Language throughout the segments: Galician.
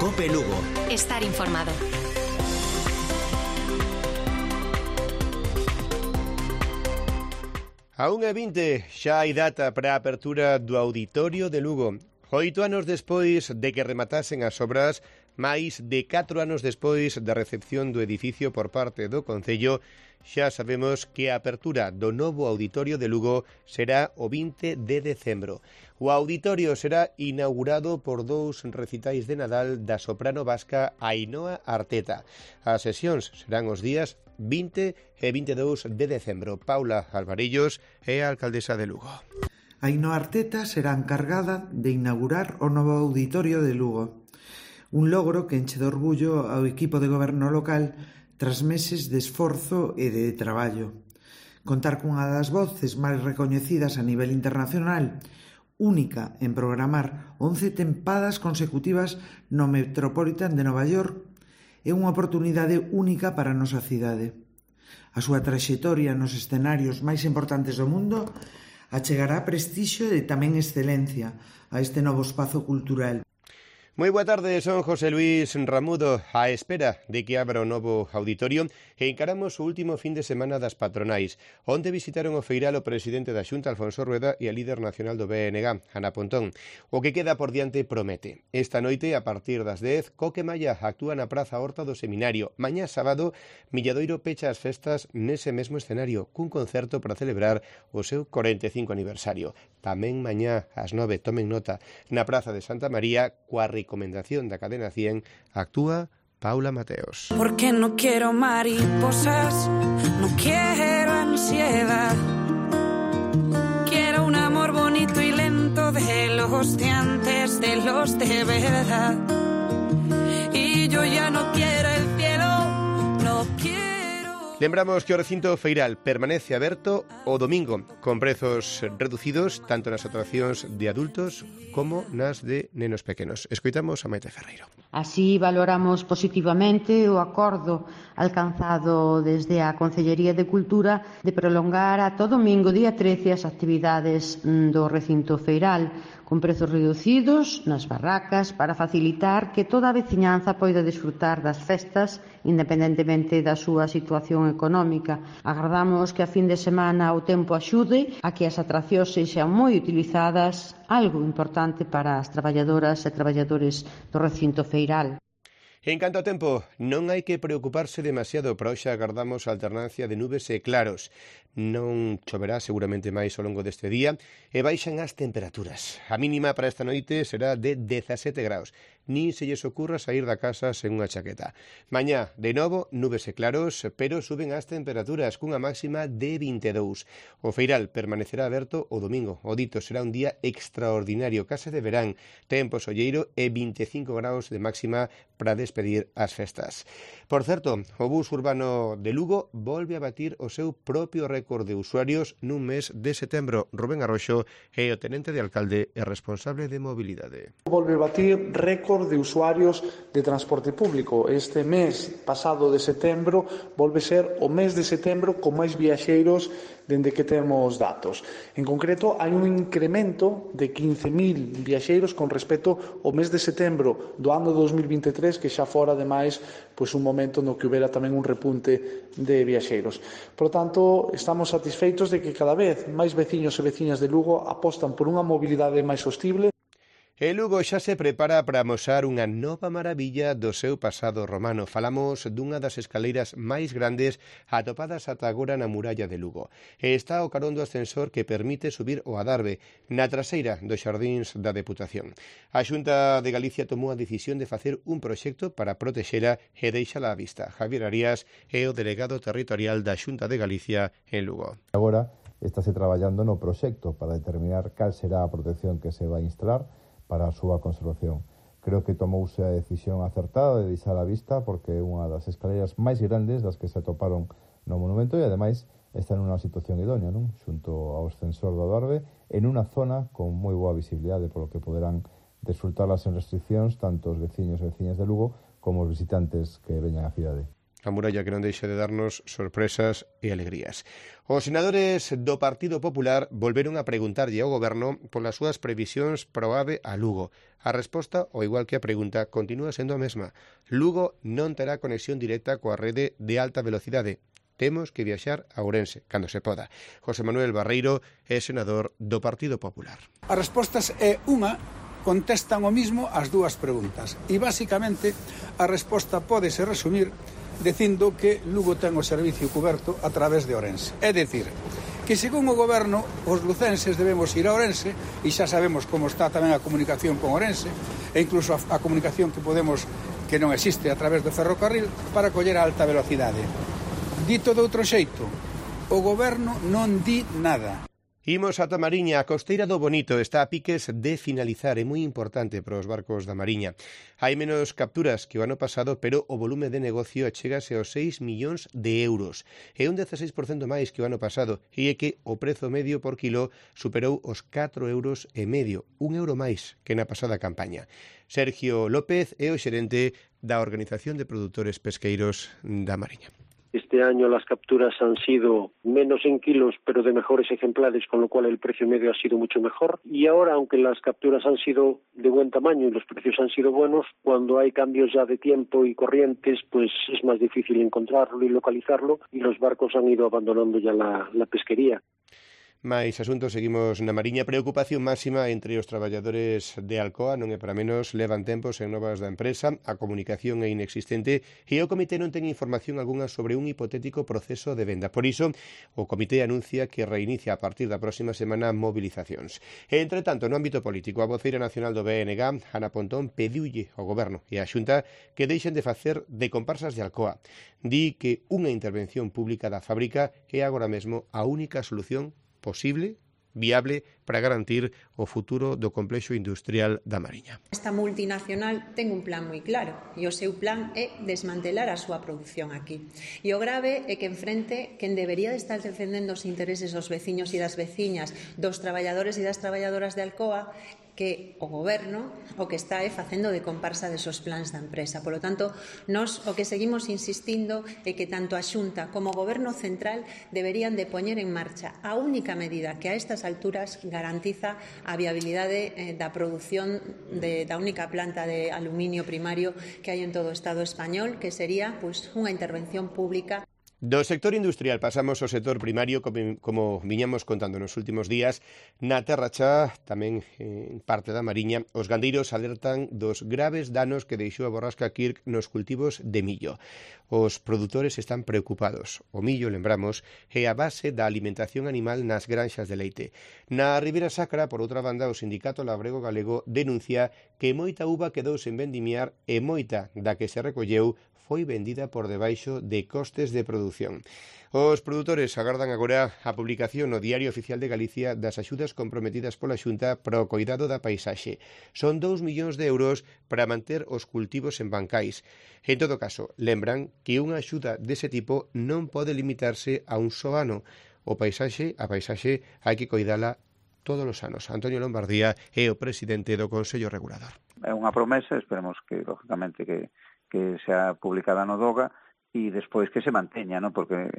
COPE Lugo. Estar informado. A 1:20 xa hai data para a apertura do Auditorio de Lugo. 8 anos despois de que rematasen as obras, máis de 4 anos despois da recepción do edificio por parte do Concello, xa sabemos que a apertura do novo Auditorio de Lugo será o 20 de decembro. O auditorio será inaugurado por 2 recitais de Nadal da soprano vasca Ainhoa Arteta. As sesións serán os días 20 e 22 de decembro. Paula Alvarillos é a alcaldesa de Lugo. Ainhoa Arteta será encargada de inaugurar o novo Auditorio de Lugo. Un logro que enche de orgullo ao equipo de goberno local tras meses de esforzo e de traballo. Contar cunha das voces máis recoñecidas a nivel internacional, única en programar 11 tempadas consecutivas no Metropolitan de Nova York, é unha oportunidade única para a nosa cidade. A súa traxectoria nos escenarios máis importantes do mundo achegará prestixio e tamén excelencia a este novo espazo cultural. Moi boa tarde, son José Luis Ramudo, á espera de que abra o novo auditorio e encaramos o último fin de semana das patronais. Onte visitaron o Feiral o presidente da Xunta, Alfonso Rueda, e a líder nacional do BNG, Ana Pontón. O que queda por diante promete. Esta noite, a partir das 10, Coque Malla actúa na Praza Horta do Seminario. Mañá sábado, Milladoiro pecha as festas nese mesmo escenario, cun concerto para celebrar o seu 45 aniversario. Tamén mañá, ás 9, tomen nota, na Praza de Santa María, coa recomendación da cadena 100, actúa Paula Mateos. Porque no quiero mariposas, no quiero ansiedad. Quiero un amor bonito y lento de los de antes, de los de verdad. Y yo ya no quiero el cielo, no quiero... Lembramos que o recinto feiral permanece aberto o domingo, con prezos reducidos tanto nas atraccións de adultos como nas de nenos pequenos. Escoitamos a Maite Ferreiro. Así valoramos positivamente o acordo alcanzado desde a Concellería de Cultura de prolongar ata o domingo día 13 as actividades do recinto feiral, con prezos reducidos nas barracas para facilitar que toda a veciñanza poida desfrutar das festas independentemente da súa situación económica. Agardamos que a fin de semana o tempo axude a que as atraccións sexan moi utilizadas, algo importante para as traballadoras e traballadores do recinto feiral. En canto ao tempo, non hai que preocuparse demasiado, pero hoxe agardamos a alternancia de nubes e claros. Non choverá seguramente máis ao longo deste día e baixan as temperaturas. A mínima para esta noite será de 17 graus. Nin se lles ocurra sair da casa sen unha chaqueta. Mañá, de novo, nubes e claros, pero suben as temperaturas cunha máxima de 22. O feiral permanecerá aberto o domingo. O dito será un día extraordinario, case de verán, tempo solleiro e 25 graus de máxima para despedir as festas. Por certo, o bus urbano de Lugo volve a batir o seu propio récord de usuarios nun mes de setembro. Rubén Arroxo é o tenente de alcalde e responsable de mobilidade. Volve a batir récord de usuarios de transporte público. Este mes pasado de setembro volve ser o mes de setembro con máis viaxeiros dende que temos datos. En concreto, hai un incremento de 15.000 viaxeiros con respecto ao mes de setembro do ano 2023, que xa fora, ademais, un momento no que houbera tamén un repunte de viaxeiros. Por tanto, estamos satisfeitos de que cada vez máis veciños e veciñas de Lugo apostan por unha mobilidade máis sostible. E Lugo xa se prepara para amosar unha nova maravilla do seu pasado romano. Falamos dunha das escaleiras máis grandes atopadas ata agora na muralla de Lugo. E está o carón do ascensor que permite subir o Adarve, na traseira dos xardíns da Deputación. A Xunta de Galicia tomou a decisión de facer un proxecto para protexela e deixala á vista. Javier Arias é o delegado territorial da Xunta de Galicia en Lugo. Agora estáse traballando no proxecto para determinar cal será a protección que se vai instalar para a súa conservación. Creo que tomouse a decisión acertada de deixar a vista porque é unha das escaleiras máis grandes das que se atoparon no monumento e, ademais, está nunha situación idónea, non? Xunto ao ascensor do Adarve, en unha zona con moi boa visibilidade, polo que poderán desfrutarlas en restriccións tanto os veciños e veciñas de Lugo como os visitantes que veñan á cidade. A muralla que non deixa de darnos sorpresas e alegrías. Os senadores do Partido Popular volveron a preguntarlle ao Goberno polas súas previsións para o AVE a Lugo. A resposta, ao igual que a pregunta, continúa sendo a mesma. Lugo non terá conexión directa coa rede de alta velocidade. Temos que viaxar a Ourense, cando se poda. José Manuel Barreiro é senador do Partido Popular. As respostas é unha, contestan o mismo as dúas preguntas. E, basicamente, a resposta pódese resumir dicindo que Lugo ten o servicio cuberto a través de Ourense. É dicir, que según o Goberno, os lucenses debemos ir a Ourense, e xa sabemos como está tamén a comunicación con Ourense, e incluso a comunicación que non existe a través do ferrocarril, para coller a alta velocidade. Dito de outro xeito, o Goberno non di nada. Imos ata Mariña. A costeira do Bonito está a piques de finalizar. É moi importante para os barcos da Mariña. Hai menos capturas que o ano pasado, pero o volume de negocio achégase aos 6 millóns de euros. É un 16% máis que o ano pasado, e é que o prezo medio por kilo superou os 4,5 euros, un euro máis que na pasada campaña. Sergio López é o xerente da Organización de Produtores Pesqueiros da Mariña. Este año las capturas han sido menos en kilos, pero de mejores ejemplares, con lo cual el precio medio ha sido mucho mejor. Y ahora, aunque las capturas han sido de buen tamaño y los precios han sido buenos, cuando hay cambios ya de tiempo y corrientes, pues es más difícil encontrarlo y localizarlo, y los barcos han ido abandonando ya la pesquería. Mais asuntos, seguimos na Mariña. Preocupación máxima entre os traballadores de Alcoa, non é para menos, levan tempos en novas da empresa, a comunicación é inexistente e o comité non ten información algunha sobre un hipotético proceso de venda. Por iso, o comité anuncia que reinicia a partir da próxima semana mobilizacións. E, entre tanto, no ámbito político, a voceira nacional do BNG, Ana Pontón, pediulle ao Goberno e á Xunta que deixen de facer de comparsas de Alcoa. Di que unha intervención pública da fábrica é agora mesmo a única solución posible, viable, para garantir o futuro do complexo industrial da Mariña. Esta multinacional ten un plan moi claro e o seu plan é desmantelar a súa produción aquí. E o grave é que enfrente quen debería de estar defendendo os intereses dos veciños e das veciñas, dos traballadores e das traballadoras de Alcoa, que o Goberno o que está facendo de comparsa desos plans da empresa. Por lo tanto, nós o que seguimos insistindo é que tanto a Xunta como o Goberno central deberían de poñer en marcha a única medida que a estas alturas garantiza a viabilidade da produción da única planta de aluminio primario que hai en todo o Estado español, que sería unha intervención pública. Do sector industrial pasamos ao sector primario, como viñamos contando nos últimos días. Na Terra Chá, tamén en parte da Mariña, os gandeiros alertan dos graves danos que deixou a borrasca Kirk nos cultivos de millo. Os produtores están preocupados. O millo, lembramos, é a base da alimentación animal nas granxas de leite. Na Ribeira Sacra, por outra banda, o Sindicato Labrego Galego denuncia que moita uva quedou sen vendimiar e moita da que se recolleu foi vendida por debaixo de costes de produción. Os produtores agardan agora a publicación no Diario Oficial de Galicia das axudas comprometidas pola Xunta para o coidado da paisaxe. Son 2 millóns de euros para manter os cultivos en bancais. En todo caso, lembran que unha axuda dese tipo non pode limitarse a un só ano. A paisaxe hai que coidala todos os anos. Antonio Lombardía é o presidente do Consello Regulador. É unha promesa, esperemos que, lógicamente, que sea publicada no DOGA e despois que se manteña, ¿no? Porque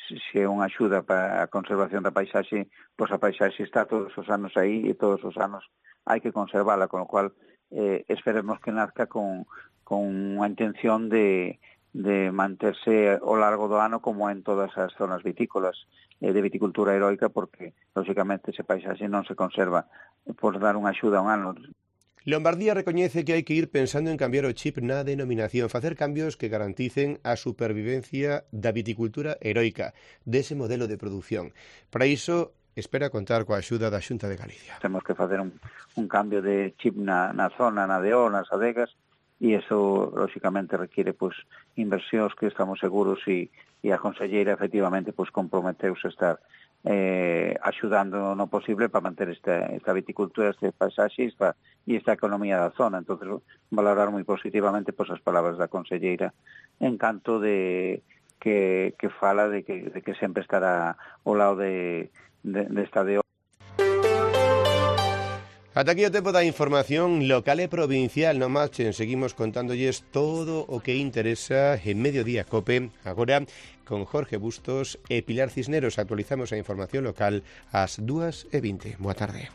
se é unha axuda para a conservación da paisaxe, pois a paisaxe está todos os anos aí e todos os anos hai que conservala, con o cual esperemos que nazca con unha intención de manterse ao largo do ano como en todas as zonas vitícolas de viticultura heroica, porque, lógicamente, ese paisaxe non se conserva por dar unha axuda a un ano. Lombardía recoñece que hai que ir pensando en cambiar o chip na denominación, facer cambios que garanticen a supervivencia da viticultura heroica, dese modelo de produción. Para iso, espera contar coa axuda da Xunta de Galicia. Temos que facer un cambio de chip na zona, na DO, nas adegas, e iso, lógicamente, requiere inversións que estamos seguros e a conselleira, efectivamente, comprometeuse a estar axudando no posible para manter esta viticultura, este paisaxe e esta economía da zona. Entonces, valorar moi positivamente as palabras da conselleira en canto de que fala de que sempre estará ao lado desta DO. Ata aquí o tempo da información local e provincial. Non marchen, seguimos contándoles todo o que interesa en Mediodía Cope. Agora, con Jorge Bustos e Pilar Cisneros, actualizamos a información local ás 2:20. Boa tarde.